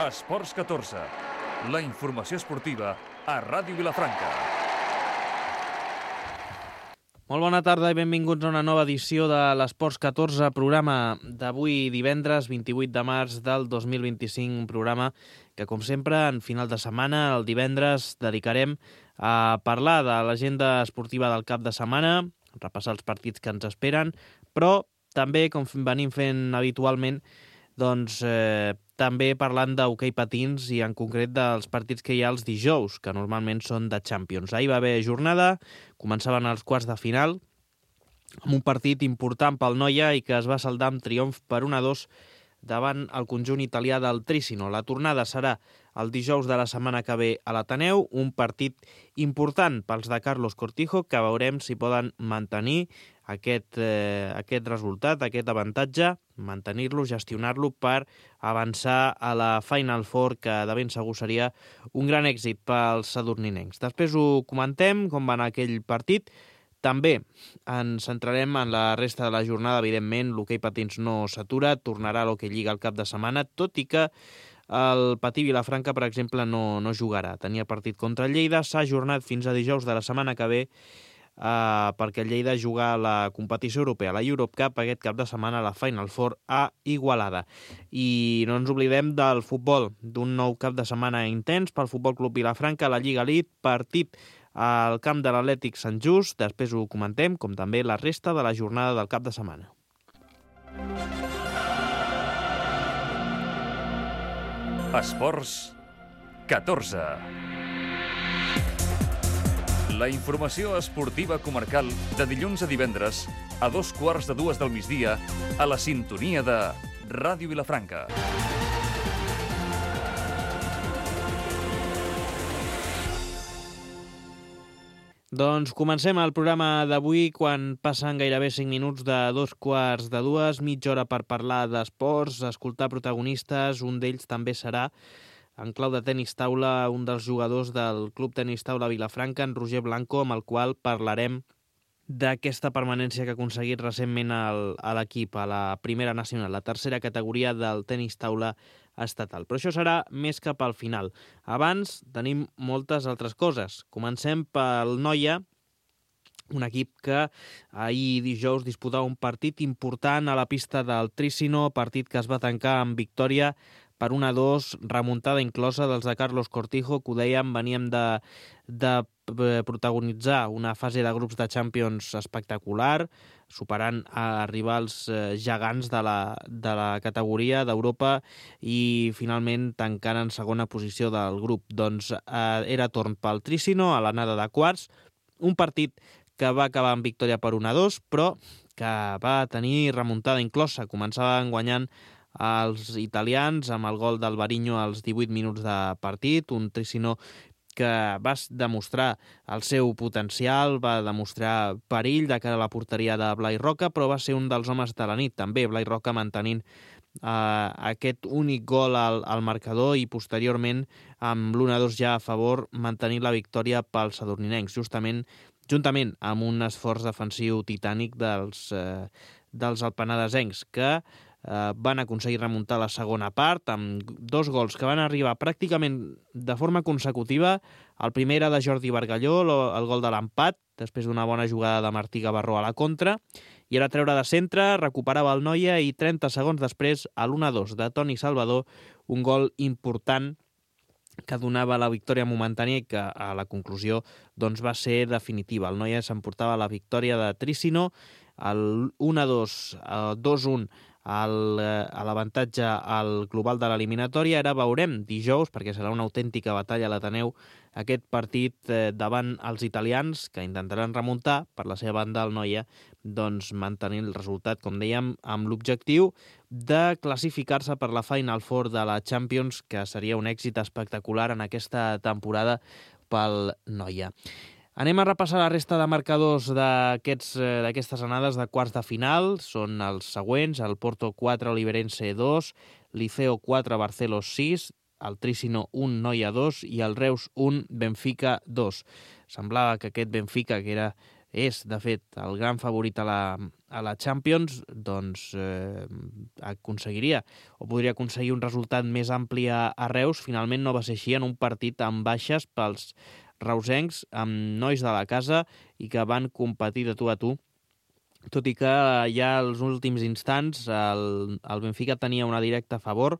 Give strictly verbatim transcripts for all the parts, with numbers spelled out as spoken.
Esports catorze, la informació esportiva a Ràdio Vilafranca. Molt bona tarda i benvinguts a una nova edició de l'Esports catorze, programa d'avui divendres vint-i-vuit de març del dos mil vint-i-cinc, un programa que, com sempre, en final de setmana, el divendres, dedicarem a parlar de l'agenda esportiva del cap de setmana, repassar els partits que ens esperen, però també, com venim fent habitualment, doncs eh, també parlant d'hoquei patins i en concret dels partits que hi ha els dijous, que normalment són de Champions. Ahir va haver jornada, començaven els quarts de final, amb un partit important pel Noia i que es va saldar amb triomf per un a dos davant el conjunt italià del Trissino. La tornada serà el dijous de la setmana que ve a l'Ateneu, un partit important pels de Carlos Cortijo, que veurem si poden mantenir aquest, eh, aquest resultat, aquest avantatge, mantenir-lo, gestionar-lo per avançar a la Final Four, que de ben segur seria un gran èxit pels sadurninencs. Després ho comentem, com va anar aquell partit. També ens centrarem en la resta de la jornada, evidentment, l'hoquei patins no s'atura, tornarà l'hoquei lliga al cap de setmana, tot i que el Patí Vilafranca, per exemple, no, no jugarà. Tenia partit contra el Lleida, s'ha ajornat fins a dijous de la setmana que ve, Uh, perquè el Lleida juga a la competició europea, la Europe Cup, aquest cap de setmana a la Final Four a Igualada. I no ens oblidem del futbol, d'un nou cap de setmana intens pel Futbol Club Vilafranca, la Lliga Elite, partit al camp de l'Atlètic Sant Just, després ho comentem, com també la resta de la jornada del cap de setmana. Esports catorze. La informació esportiva comarcal de dilluns a divendres a dos quarts de dues del migdia a la sintonia de Ràdio Vilafranca. Doncs comencem el programa d'avui quan passen gairebé cinc minuts de dos quarts de dues, mitja hora per parlar d'esports, escoltar protagonistes, un d'ells també serà en clau de tenis taula, un dels jugadors del Club Tenis Taula Vilafranca, en Roger Blanco, amb el qual parlarem d'aquesta permanència que ha aconseguit recentment el, a l'equip, a la primera nacional, la tercera categoria del tenis taula estatal. Però això serà més cap al final. Abans tenim moltes altres coses. Comencem pel Noia, un equip que ahir dijous disputava un partit important a la pista del Trissino, partit que es va tancar amb victòria per un a dos, remuntada inclosa dels de Carlos Cortijo, que ho dèiem, veníem de, de protagonitzar una fase de grups de Champions espectacular, superant a rivals gegants de la, de la categoria d'Europa i finalment tancant en segona posició del grup. Doncs eh, era torn pel Trissino a l'anada de quarts, un partit que va acabar amb victòria per un a dos, però que va tenir remuntada inclosa. Començaven guanyant els italians amb el gol d'Alvariño als divuit minuts de partit, un Trissino que va demostrar el seu potencial, va demostrar perill de cara a la porteria de Blai Roca, però va ser un dels homes de la nit també, Blai Roca mantenint eh, aquest únic gol al, al marcador i posteriorment amb l'un a dos ja a favor mantenint la victòria pels sadurninencs, justament juntament amb un esforç defensiu titànic dels, eh, dels alpenadesencs que Uh, van aconseguir remuntar la segona part amb dos gols que van arribar pràcticament de forma consecutiva. El primer era de Jordi Bargalló, el gol de l'empat, després d'una bona jugada de Martí Gavarró a la contra, i era treure de centre, recuperava el Noia i trenta segons després a l'un a dos de Toni Salvador, un gol important que donava la victòria momentània i que a la conclusió doncs, va ser definitiva. El Noia s'emportava la victòria de Trissino, el un a dos, dos a un El, a l'avantatge al global de l'eliminatòria. Ara veurem dijous, perquè serà una autèntica batalla a l'Ateneu, aquest partit eh, davant els italians, que intentaran remuntar per la seva banda el Noia, doncs mantenir el resultat, com dèiem, amb l'objectiu de classificar-se per la Final Four de la Champions, que seria un èxit espectacular en aquesta temporada pel Noia. Anem a repassar la resta de marcadors d'aquests, d'aquestes anades de quarts de final. Són els següents: el Porto quatre, Oliverense dos, Liceo quatre, Barcelos sis, el Trissino un, Noia dos i el Reus un, Benfica dos. Semblava que aquest Benfica, que era és, de fet, el gran favorit a la, a la Champions, doncs eh, aconseguiria o podria aconseguir un resultat més ampli a, a Reus. Finalment no va ser així, en un partit amb baixes pels reusencs, amb nois de la casa i que van competir de tu a tu, tot i que ja als últims instants el, el Benfica tenia una directa a favor.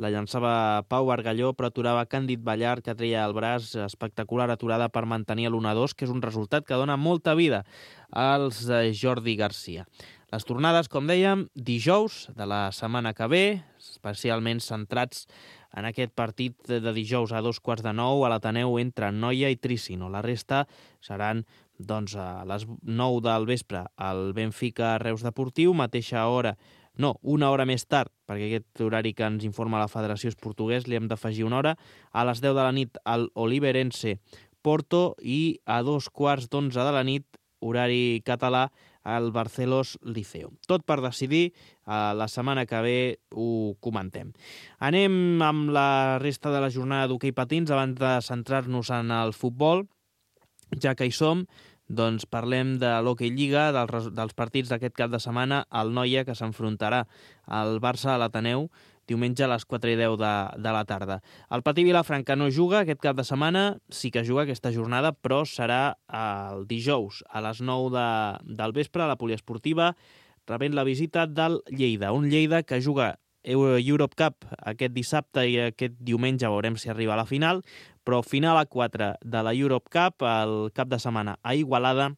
La llançava Pau Bargalló, però aturava Càndid Ballart, que treia el braç, espectacular aturada per mantenir l'u a dos, que és un resultat que dona molta vida als de Jordi Garcia. Les tornades, com dèiem, dijous de la setmana que ve, especialment centrats en aquest partit de dijous a dos quarts de nou a l'Ateneu entre Noia i Tricino. La resta seran doncs, a les nou del vespre al Benfica Reus Deportiu, mateixa hora. No, una hora més tard, perquè aquest horari que ens informa la Federació és portuguès, li hem d'afegir una hora. A les deu de la nit al Oliveirense Porto i a dos quarts d'onze de la nit, horari català, al Barcelos Liceo. Tot per decidir, eh, la setmana que ve ho comentem. Anem amb la resta de la jornada d'hoquei patins abans de centrar-nos en el futbol, ja que hi som. Doncs parlem de l'Hockey Lliga, dels, dels partits d'aquest cap de setmana, el Noia, que s'enfrontarà al Barça a l'Ateneu diumenge a les quatre i deu de, de la tarda. El Patí Vilafranca no juga aquest cap de setmana, sí que juga aquesta jornada, però serà el dijous a les nou de, del vespre a la poliesportiva, rebent la visita del Lleida. Un Lleida que juga Europe Cup aquest dissabte i aquest diumenge veurem si arriba a la final, però final a quatre de la Europe Cup el cap de setmana a Igualada.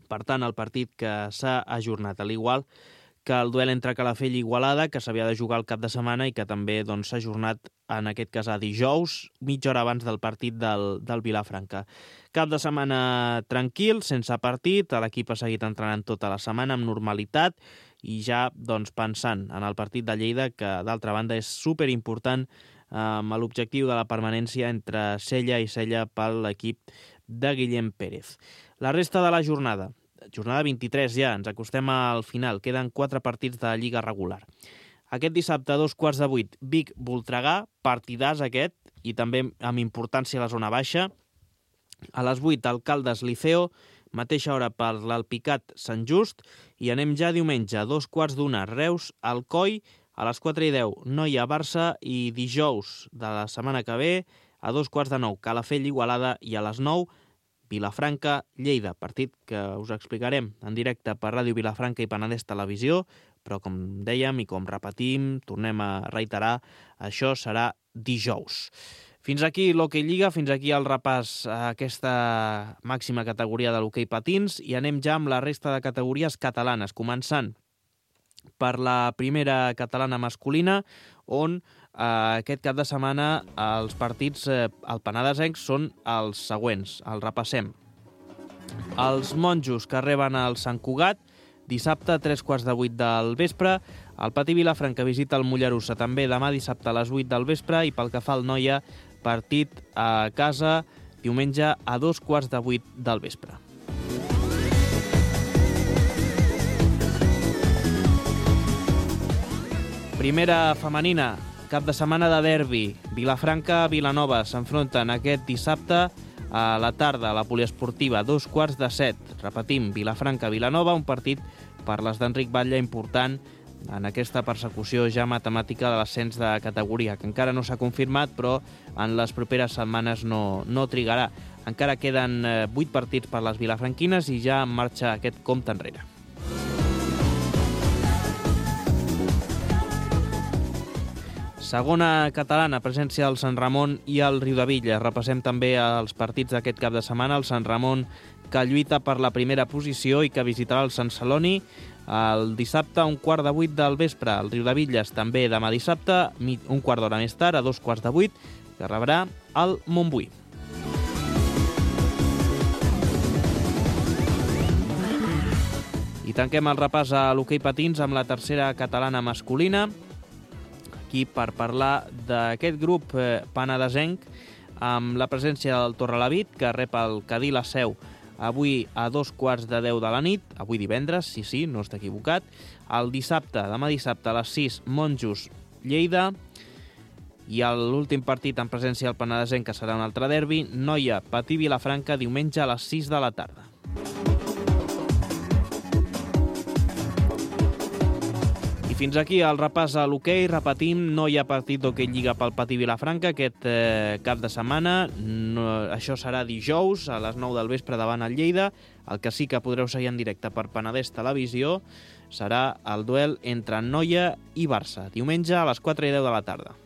Per tant, el partit que s'ha ajornat, a l'igual que el duel entre Calafell i Igualada, que s'havia de jugar el cap de setmana i que també doncs, s'ha ajornat en aquest cas a dijous, mitja hora abans del partit del, del Vilafranca. Cap de setmana tranquil, sense partit, l'equip ha seguit entrenant tota la setmana amb normalitat i ja doncs, pensant en el partit de Lleida, que d'altra banda és superimportant amb l'objectiu de la permanència entre Sella i Sella per l'equip de Guillem Pérez. La resta de la jornada, jornada vint-i-tres ja, ens acostem al final, queden quatre partits de Lliga regular. Aquest dissabte a dos quarts de vuit, Vic-Voltregà, partidàs aquest, i també amb importància a la zona baixa. A les vuit, Alcaldes Liceo, mateixa hora per l'Alpicat Sant Just, i anem ja diumenge a dos quarts d'una, Reus Alcoi, a les quatre i deu, Noia Barça, i dijous de la setmana que ve, a dos quarts de nou, Calafell Igualada, i a les nou, Vilafranca Lleida, partit que us explicarem en directe per Ràdio Vilafranca i Penedès Televisió, però com dèiem i com repetim, tornem a reiterar, això serà dijous. Fins aquí l'Hockey Lliga, fins aquí el repàs a aquesta màxima categoria de l'hoquei patins i anem ja amb la resta de categories catalanes, començant per la primera catalana masculina, on eh, aquest cap de setmana els partits eh, al penedesenc són els següents, els repassem. Els monjos que reben el Sant Cugat, dissabte a tres quarts de vuit del vespre. El Patí Vilafranca visita el Mollerussa també demà dissabte a les vuit del vespre, i pel que fa al Noia, partit a casa diumenge a dos quarts de vuit del vespre. Primera femenina, cap de setmana de derbi. Vilafranca-Vilanova s'enfronten aquest dissabte a la tarda a la poliesportiva, dos quarts de set. Repetim, Vilafranca-Vilanova, un partit per les d'Enric Batlle important en aquesta persecució ja matemàtica de l'ascens de categoria, que encara no s'ha confirmat, però en les properes setmanes no, no trigarà. Encara queden vuit partits per les vilafranquines i ja en marxa aquest compte enrere. Segona catalana, presència del Sant Ramon i el Riudebitlles. Repassem també els partits d'aquest cap de setmana. El Sant Ramon, que lluita per la primera posició i que visitarà el Sant Celoni el dissabte a un quart de vuit del vespre. El Riudebitlles també demà dissabte, un quart d'hora més tard, a dos quarts de vuit, que rebrà el Montbui. I tanquem el repàs a l'hoquei patins amb la tercera catalana masculina, aquí per parlar d'aquest grup eh, penedesenc amb la presència del Torrelavit, que rep el Cadí la Seu avui a dos quarts de deu de la nit, avui divendres, sí, sí, no està equivocat. El dissabte, demà dissabte a les sis, Monjos Lleida, i l'últim partit en presència del penedesenc, que serà un altre derbi, Noia Patí Vilafranca, diumenge a les sis de la tarda. I fins aquí el repàs a l'hoquei. Repetim, no hi ha partit d'hoquei Lliga pel Patí Vilafranca aquest eh, cap de setmana. No, això serà dijous a les nou del vespre davant el Lleida. El que sí que podreu seguir en directe per Penedès Televisió serà el duel entre Noia i Barça, diumenge a les quatre i deu de la tarda.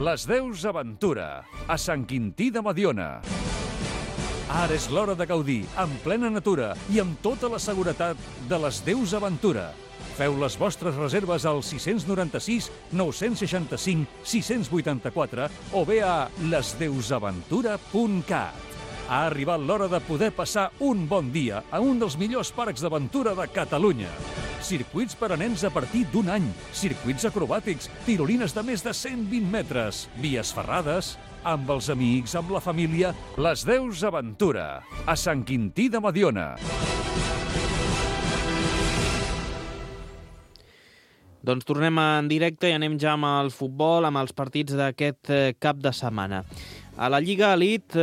Les Deus Aventura, a Sant Quintí de Mediona. Ara és l'hora de gaudir, en plena natura i amb tota la seguretat de les Deus Aventura. Feu les vostres reserves al sis nou sis, nou sis cinc, sis vuit quatre o bé a les deus aventura punt cat. Ha arribat l'hora de poder passar un bon dia a un dels millors parcs d'aventura de Catalunya. Circuits per a nens a partir d'un any, circuits acrobàtics, tirolines de més de cent vint metres, vies ferrades, amb els amics, amb la família, les Deus Aventura, a Sant Quintí de Mediona. Doncs tornem en directe i anem ja amb el futbol, amb els partits d'aquest cap de setmana. A la Lliga Elite,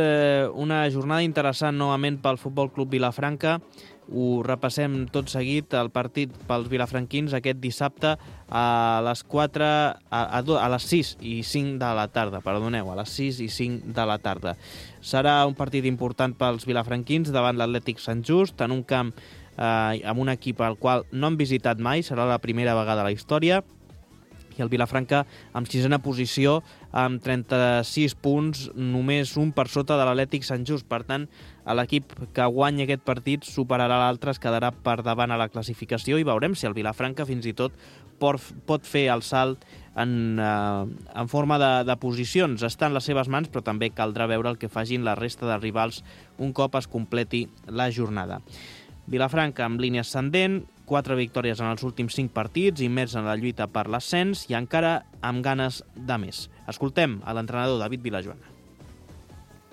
una jornada interessant novament pel Futbol Club Vilafranca. Ho repassem tot seguit, el partit pels vilafranquins aquest dissabte a les quatre, a, a, a les sis i cinc de la tarda, perdoneu, a les sis i cinc de la tarda. Serà un partit important pels vilafranquins davant l'Atlètic Sant Just, en un camp eh, amb un equip al qual no han visitat mai, serà la primera vegada a la història, i el Vilafranca amb sisena posició amb trenta-sis punts, només un per sota de l'Atlètic Sant Just. Per tant, l'equip que guanyi aquest partit superarà l'altre, es quedarà per davant a la classificació i veurem si el Vilafranca fins i tot pot, pot fer el salt en, eh, en forma de, de posicions. Està en les seves mans, però també caldrà veure el que facin la resta de rivals un cop es completi la jornada. Vilafranca amb línia ascendent, quatre victòries en els últims cinc partits, immers en la lluita per l'ascens i encara amb ganes de més. Escoltem a l'entrenador David Vilajoana.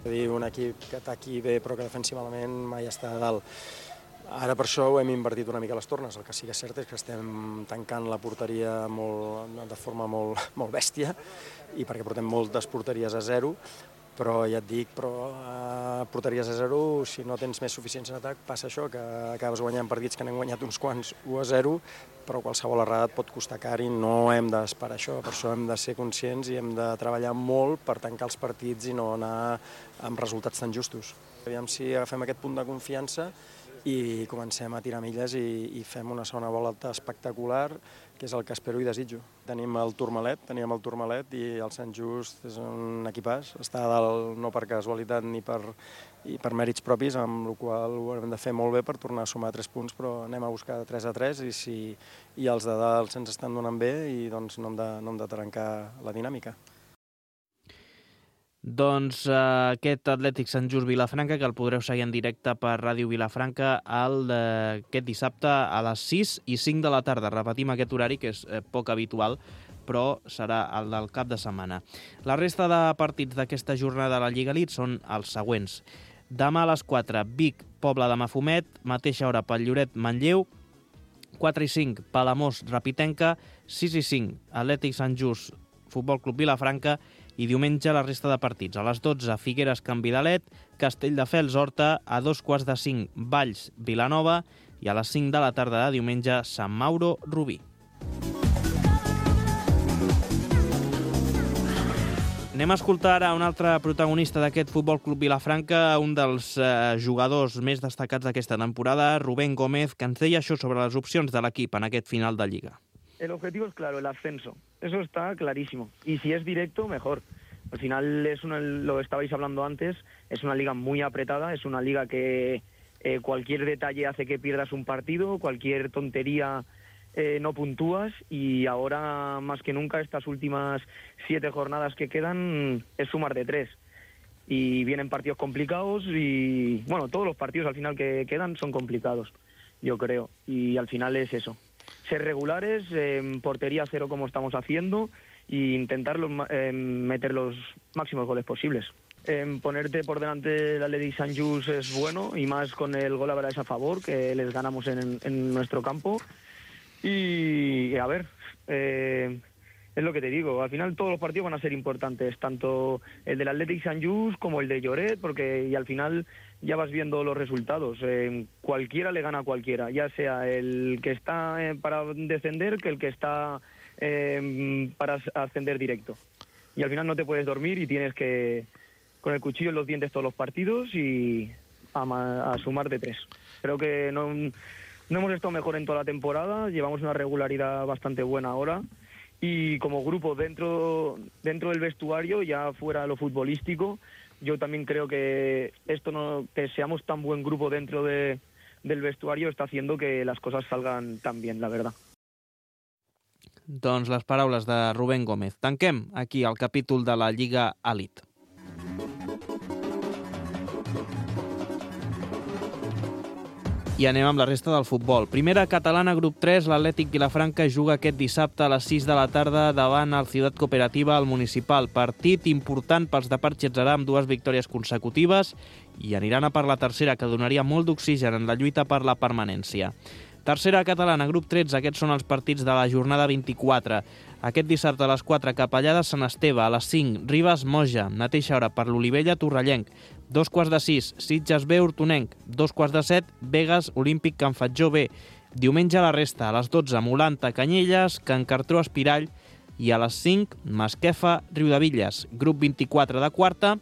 Un equip que ataqui bé però que defensi malament mai està a dalt. Ara per això ho hem invertit una mica les tornes. El que sí que és cert és que estem tancant la porteria molt, de forma molt, molt bèstia i perquè portem moltes porteries a zero, però ja et dic, però a porteries a zero, si no tens més suficiència en atac, passa això, que acabes guanyant partits que n'hem guanyat uns quants u a zero, però qualsevol errada et pot costar car i no hem d'esperar això. Per això hem de ser conscients i hem de treballar molt per tancar els partits i no anar amb resultats tan justos. Aviam si agafem aquest punt de confiança i comencem a tirar milles i, i fem una segona volta espectacular, que és el que espero i desitjo. Tenim el Tourmalet, teníem el Tourmalet i el Sant Just és un equipàs, està a dalt no per casualitat ni per, i per mèrits propis, amb el qual ho hem de fer molt bé per tornar a sumar tres punts, però anem a buscar tres a tres i, si, i els de dalt se'ns estan donant bé i doncs no hem de, no hem de trencar la dinàmica. Doncs eh, aquest Atlètic Sant Just Vilafranca, que el podreu seguir en directe per Ràdio Vilafranca el, eh, aquest dissabte a les sis i cinc de la tarda. Repetim aquest horari, que és eh, poc habitual, però serà el del cap de setmana. La resta de partits d'aquesta jornada de la Lliga Elite són els següents. Demà a les quatre, Vic, Pobla de Mafumet, mateixa hora pel Lloret, Manlleu, quatre i cinc, Palamós, Rapitenca, sis i cinc, Atlètic Sant Just, Futbol Club Vilafranca, i diumenge la resta de partits. A les dotze, Figueres, Can Vidalet, Castelldefels, Horta, a dos quarts de cinc, Valls, Vilanova, i a les cinc de la tarda de diumenge, Sant Mauro, Rubí. Anem a escoltar ara un altre protagonista d'aquest Futbol Club Vilafranca, un dels eh, jugadors més destacats d'aquesta temporada, Rubén Gómez, que ens deia això sobre les opcions de l'equip en aquest final de Lliga. El objetivo es claro, el ascenso. Eso está clarísimo. Y si es directo, mejor. Al final, es una, lo estabais hablando antes, es una liga muy apretada, es una liga que eh, cualquier detalle hace que pierdas un partido, cualquier tontería eh, no puntúas, y ahora, más que nunca, estas últimas siete jornadas que quedan, es sumar de tres. Y vienen partidos complicados y, bueno, todos los partidos al final que quedan son complicados, yo creo. Y al final es eso. Ser regulares, en eh, portería cero como estamos haciendo e intentar los, eh, meter los máximos goles posibles. Eh, ponerte por delante del Atlètic Sant Just es bueno y más con el gol a veras a favor que les ganamos en, en nuestro campo. Y a ver, eh, es lo que te digo, al final todos los partidos van a ser importantes, tanto el del Atlètic Sant Just como el de Lloret, porque y al final ya vas viendo los resultados. Eh, cualquiera le gana a cualquiera, ya sea el que está eh, para descender que el que está eh, para ascender directo. Y al final no te puedes dormir y tienes que, con el cuchillo en los dientes todos los partidos y a, a sumar de tres. Creo que no, no hemos estado mejor en toda la temporada, llevamos una regularidad bastante buena ahora. Y como grupo dentro, dentro del vestuario, ya fuera de lo futbolístico, yo también creo que esto no, que seamos tan buen grupo dentro de, del vestuario está haciendo que las cosas salgan tan bien, la verdad. Doncs les paraules de Rubén Gómez. Tanquem aquí el capítol de la Lliga Elite. I anem amb la resta del futbol. Primera catalana, grup tres, l'Atlètic Vilafranca juga aquest dissabte a les sis de la tarda davant el Ciutat Cooperativa al Municipal. Partit important pels de Parxetzerà amb dues victòries consecutives i aniran a per la tercera, que donaria molt d'oxigen en la lluita per la permanència. Tercera catalana, grup tretze, aquests són els partits de la jornada vint-i-quatre. Aquest dissabte a les quatre, Capellada, Sant Esteve, a les cinc, Ribes, Moja, mateixa hora per l'Olivella, Torrellenc, dos quarts de sis, Sitges B, Hortonenc, dos quarts de set, Begues, Olímpic, Can Fatjó B. Diumenge a la resta, a les dotze, Molanta, Canyelles, Can Cartró, Espirall, i a les cinc, Masquefa, Riudevilles. Grup vint-i-quatre de quarta,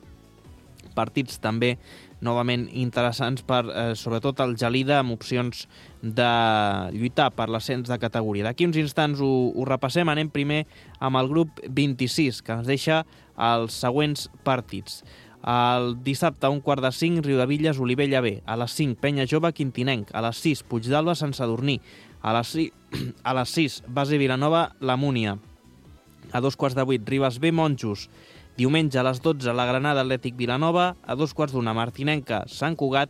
partits també novament interessants per, eh, sobretot, el Gelida, amb opcions de lluitar per l'ascens de categoria. D'aquí uns instants ho, ho repassem. Anem primer amb el grup vint-i-sis, que ens deixa els següents partits. El dissabte a un quart de cinc, Riudevilles, Olivella B. A les cinc, Penya Jove, Quintinenc. A les sis, Puigdàlber, Sant Sadurní. A les sis, a les sis Base Vilanova, La Múnia. A dos quarts de vuit, Ribes B, Monjos. Diumenge a les dotze, la Granada, Atlètic Vilanova. A dos quarts d'una, Martinenca, Sant Cugat.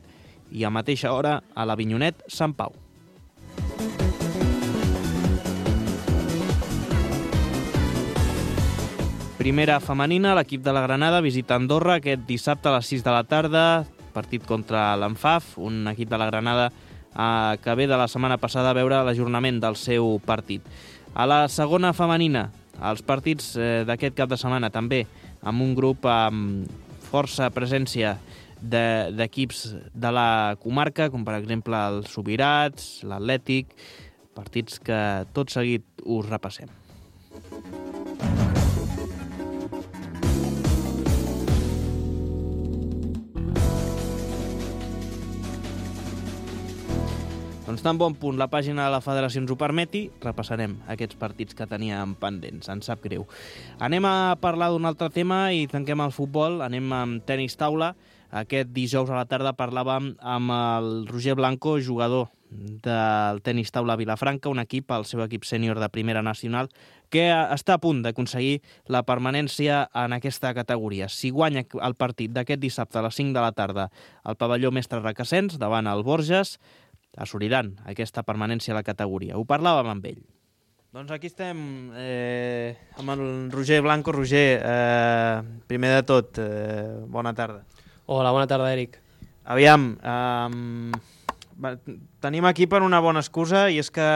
I a mateixa hora, a l'Avinyonet, Sant Pau. Primera femenina, l'equip de la Granada visita Andorra aquest dissabte a les sis de la tarda, partit contra l'Anfaf, un equip de la Granada eh, que ve de la setmana passada a veure l'ajornament del seu partit. A la segona femenina, els partits eh, d'aquest cap de setmana també amb un grup amb força presència d'equips de, de la comarca, com per exemple els Subirats, l'Atlètic, partits que tot seguit us repassem. Doncs tan bon punt la pàgina de la federació ens ho permeti, repassarem aquests partits que teníem pendents, ens sap greu. Anem a parlar d'un altre tema i tanquem el futbol, anem amb tenis taula. Aquest dijous a la tarda parlàvem amb el Roger Blanco, jugador del tenis taula Vilafranca, un equip, el seu equip sènior de primera nacional, que està a punt d'aconseguir la permanència en aquesta categoria. Si guanya el partit d'aquest dissabte a les cinc de la tarda al pavelló Mestre Requesens, davant el Borges, assoliran aquesta permanència a la categoria. Ho parlàvem amb ell. Doncs aquí estem eh, amb el Roger Blanco. Roger, eh, primer de tot, eh, bona tarda. Hola, bona tarda, Eric. Aviam, eh, tenim aquí per una bona excusa, i és que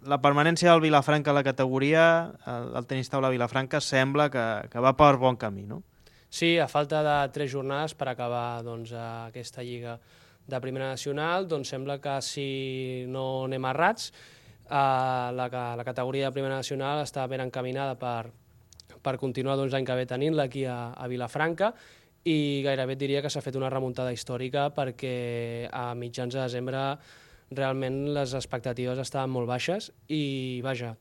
la permanència del Vilafranca a la categoria, el, el tenis taula Vilafranca, sembla que, que va per bon camí, no? Sí, a falta de tres jornades per acabar doncs, aquesta lliga de primera nacional, doncs sembla que si no anem errats, eh, la, la categoria de primera nacional està ben encaminada per, per continuar doncs, l'any que ve tenint-la aquí a, a Vilafranca, i gairebé et diria que s'ha fet una remuntada històrica perquè a mitjans de desembre realment les expectatives estaven molt baixes i, vaja,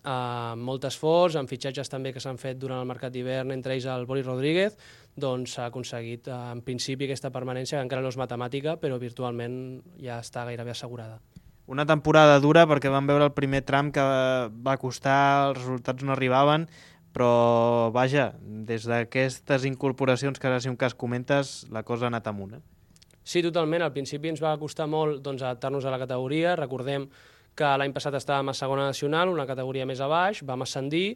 amb molt esforç, amb fitxatges també que s'han fet durant el mercat d'hivern, entre ells el Boris Rodríguez, doncs s'ha aconseguit en principi aquesta permanència, que encara no és matemàtica, però virtualment ja està gairebé assegurada. Una temporada dura perquè vam veure el primer tram que va costar, els resultats no arribaven, però vaja, des d'aquestes incorporacions que ara si un cas comentes, la cosa ha anat amunt, eh? Sí, totalment. Al principi ens va costar molt doncs, adaptar-nos a la categoria. Recordem que l'any passat estàvem a segona nacional, una categoria més a baix, vam ascendir,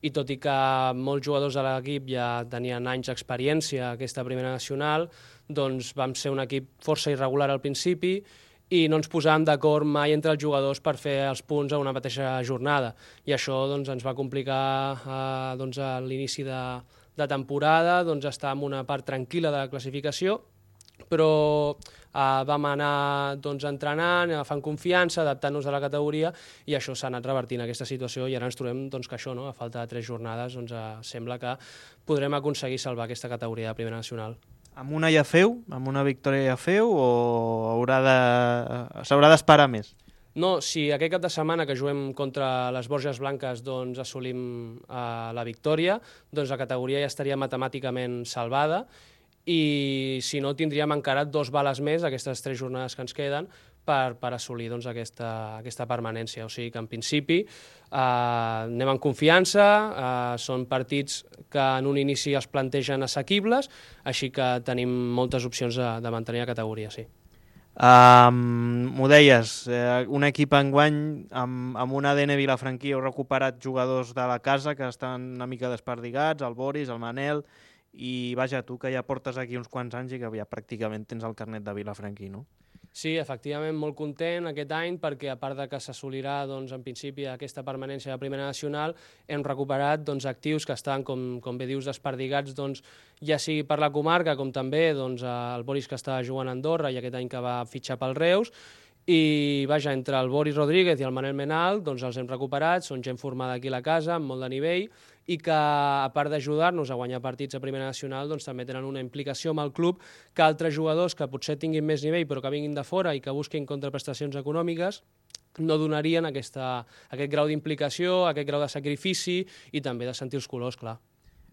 i tot i que molts jugadors de l'equip ja tenien anys d'experiència a aquesta primera nacional, doncs vam ser un equip força irregular al principi i no ens posàvem d'acord mai entre els jugadors per fer els punts a una mateixa jornada. I això doncs, ens va complicar eh, doncs, a l'inici de, de temporada, doncs, estar en una part tranquil·la de la classificació, però uh, vam anar doncs, entrenant, agafant confiança, adaptant-nos a la categoria, i això s'ha anat revertint aquesta situació, i ara ens trobem doncs, que això, no? A falta de tres jornades, doncs, uh, sembla que podrem aconseguir salvar aquesta categoria de Primera Nacional. Amb una ja feu? Amb una victòria ja feu? O haurà de... s'haurà d'esperar més? No, si aquest cap de setmana que juguem contra les Borges Blanques doncs, assolim uh, la victòria, doncs la categoria ja estaria matemàticament salvada, i si no tindríem encara dos bales més, aquestes tres jornades que ens queden, per, per assolir doncs, aquesta, aquesta permanència. O sigui que en principi eh, anem en confiança, eh, són partits que en un inici es plantegen assequibles, així que tenim moltes opcions de, de mantenir la categoria, sí. Um, m'ho deies, eh, un equip enguany amb, amb un A D N vilafranquí, heu recuperat jugadors de la casa que estan una mica desperdigats, el Boris, el Manel, i vaja, tu que ja portes aquí uns quants anys i que ja pràcticament tens el carnet de vilafranquí, no? Sí, efectivament, molt content aquest any perquè, a part de que s'assolirà doncs, en principi aquesta permanència de Primera Nacional, hem recuperat doncs, actius que estan, com, com bé dius, desperdigats, doncs, ja sigui per la comarca com també doncs, el Boris, que està jugant a Andorra i aquest any que va fitxar pel Reus, i vaja, entre el Boris Rodríguez i el Manel Menal doncs els hem recuperat, són gent formada aquí a la casa, amb molt de nivell, i que, a part d'ajudar-nos a guanyar partits a Primera Nacional, doncs també tenen una implicació amb el club que altres jugadors que potser tinguin més nivell però que vinguin de fora i que busquin contraprestacions econòmiques no donarien aquesta, aquest grau d'implicació, aquest grau de sacrifici i també de sentir els colors, clar.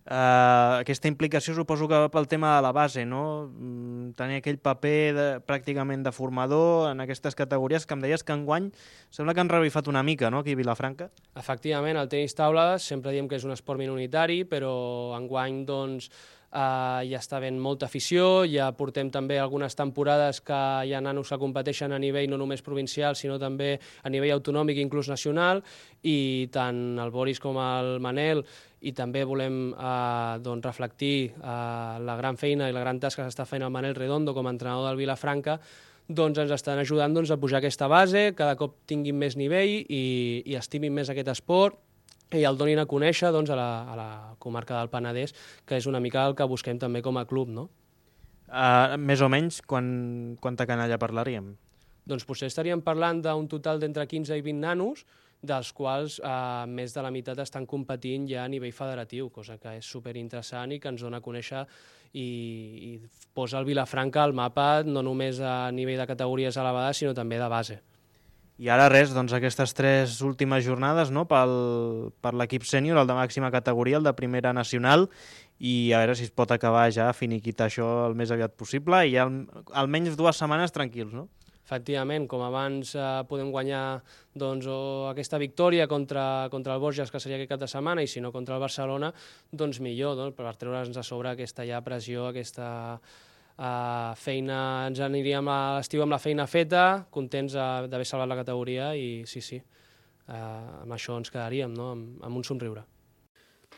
Uh, aquesta implicació suposo que va pel tema de la base, no? Mm, tenir aquell paper de, pràcticament de formador en aquestes categories que em deies que enguany sembla que han revifat una mica, no?, aquí a Vilafranca. Efectivament, el tenis taula sempre diem que és un esport minoritari, però enguany doncs, Uh, ja està ben molta afició, ja portem també algunes temporades que hi ha nanos que competeixen a nivell no només provincial, sinó també a nivell autonòmic i inclús nacional, i tant el Boris com el Manel, i també volem uh, doncs, reflectir uh, la gran feina i la gran tasca que està fent el Manel Redondo com a entrenador del Vilafranca, doncs ens estan ajudant doncs, a pujar aquesta base, cada cop tinguin més nivell i, i estimin més aquest esport, i el donin a conèixer doncs, a, la, a la comarca del Penedès, que és una mica el que busquem també com a club, no? Uh, més o menys, quan, quanta canalla parlaríem? Doncs potser estaríem parlant d'un total d'entre quinze i vint nanos, dels quals eh, més de la meitat estan competint ja a nivell federatiu, cosa que és superinteressant i que ens dona a conèixer i, i posa el Vilafranca al mapa no només a nivell de categories elevades, sinó també de base. I ara res, doncs aquestes tres últimes jornades, no?, pel, per l'equip sènior, el de màxima categoria, el de Primera Nacional, i a veure si es pot acabar ja, finiquitar això el més aviat possible, i al, almenys dues setmanes tranquils, no? Efectivament, com abans eh, podem guanyar doncs, o aquesta victòria contra, contra el Borges, que seria aquest cap de setmana, i si no contra el Barcelona, doncs millor, no?, per treure'ns a sobre aquesta ja pressió, aquesta... Uh, feina, ens aniríem a l'estiu amb la feina feta, contents uh, d'haver salvat la categoria i sí, sí, uh, amb això ens quedaríem, no?, amb, amb un somriure.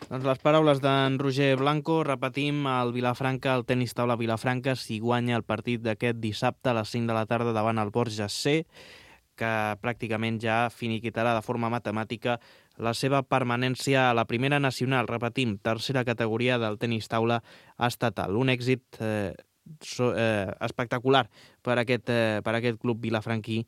Doncs les paraules d'en Roger Blanco, repetim, el Vilafranca, el tenis taula Vilafranca, si guanya el partit d'aquest dissabte a les cinc de la tarda davant el Borges C, que pràcticament ja finiquitarà de forma matemàtica la seva permanència a la Primera Nacional, repetim, tercera categoria del tenis taula estatal. Un èxit eh, So, eh, espectacular per aquest, eh, per aquest club vilafranquí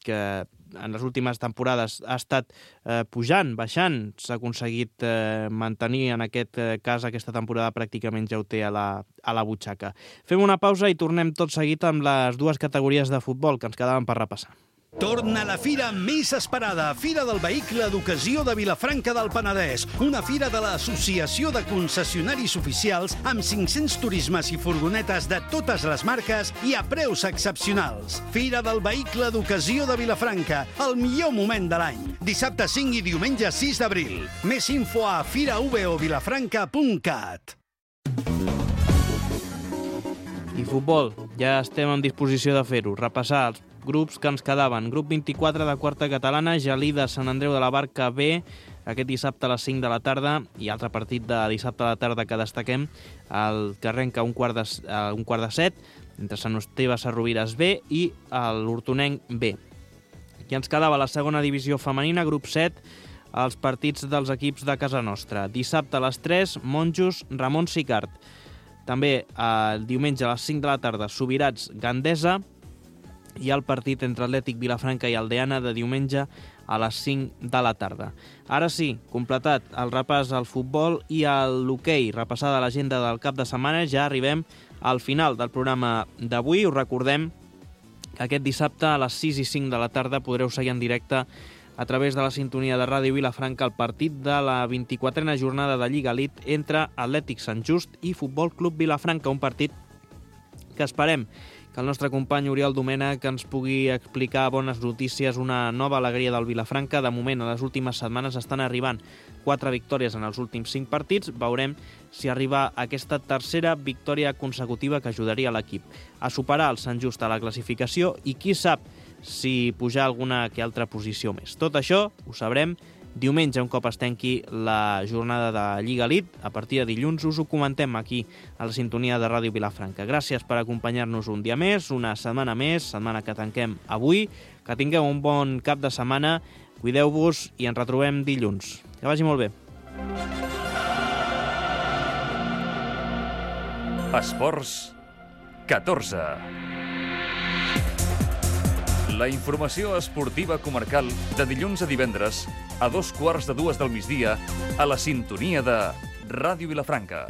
que en les últimes temporades ha estat eh, pujant, baixant, s'ha aconseguit eh, mantenir en aquest eh, cas aquesta temporada pràcticament ja ho té a la, a la butxaca. Fem una pausa i tornem tot seguit amb les dues categories de futbol que ens quedaven per repassar. Torna la fira més esperada, Fira del Vehicle d'Ocasió de Vilafranca del Penedès, una fira de l'Associació de Concessionaris Oficials amb cinc-cents turismes i furgonetes de totes les marques i a preus excepcionals. Fira del Vehicle d'Ocasió de Vilafranca, el millor moment de l'any. Dissabte cinc i diumenge sis d'abril. Més info a fira v o vilafranca punt cat. I futbol, ja estem en disposició de fer-ho, repassar els grups que ens quedaven. Grup vint-i-quatre de quarta catalana, Gelida, Sant Andreu de la Barca B, aquest dissabte a les cinc de la tarda, i altre partit de dissabte a la tarda que destaquem, el que arrenca un quart de, uh, un quart de set, entre Sant Esteve Sarrovires B i l'Hortonenc B. I ens quedava la segona divisió femenina, grup set, els partits dels equips de casa nostra. Dissabte a les tres, Monjos, Ramon Sicart. També el diumenge a les cinc de la tarda, Subirats Gandesa, i el partit entre Atlètic Vilafranca i Aldeana de diumenge a les cinc de la tarda. Ara sí, completat el repàs al futbol i a l'hoquei, repassada l'agenda del cap de setmana, ja arribem al final del programa d'avui. Us recordem que aquest dissabte a les sis i cinc de la tarda podreu seguir en directe a través de la sintonia de Ràdio Vilafranca el partit de la vint-i-quatrena jornada de Lliga Elite entre Atlètic Sant Just i Futbol Club Vilafranca, un partit que esperem que el nostre company Oriol Domènech ens pugui explicar bones notícies, una nova alegria del Vilafranca. De moment, a les últimes setmanes estan arribant quatre victòries en els últims cinc partits. Veurem si arriba aquesta tercera victòria consecutiva que ajudaria l'equip a superar el Sant Just a la classificació i qui sap si pujar alguna que altra posició més. Tot això ho sabrem diumenge, un cop es tanqui la jornada de Lliga Elite. A partir de dilluns us ho comentem aquí a la sintonia de Ràdio Vilafranca. Gràcies per acompanyar-nos un dia més, una setmana més, setmana que tanquem avui. Que tingueu un bon cap de setmana, cuideu-vos i ens retrobem dilluns. Que vagi molt bé. Esports catorze. La informació esportiva comarcal de dilluns a divendres a dos quarts de dues del migdia a la sintonia de Ràdio Vilafranca.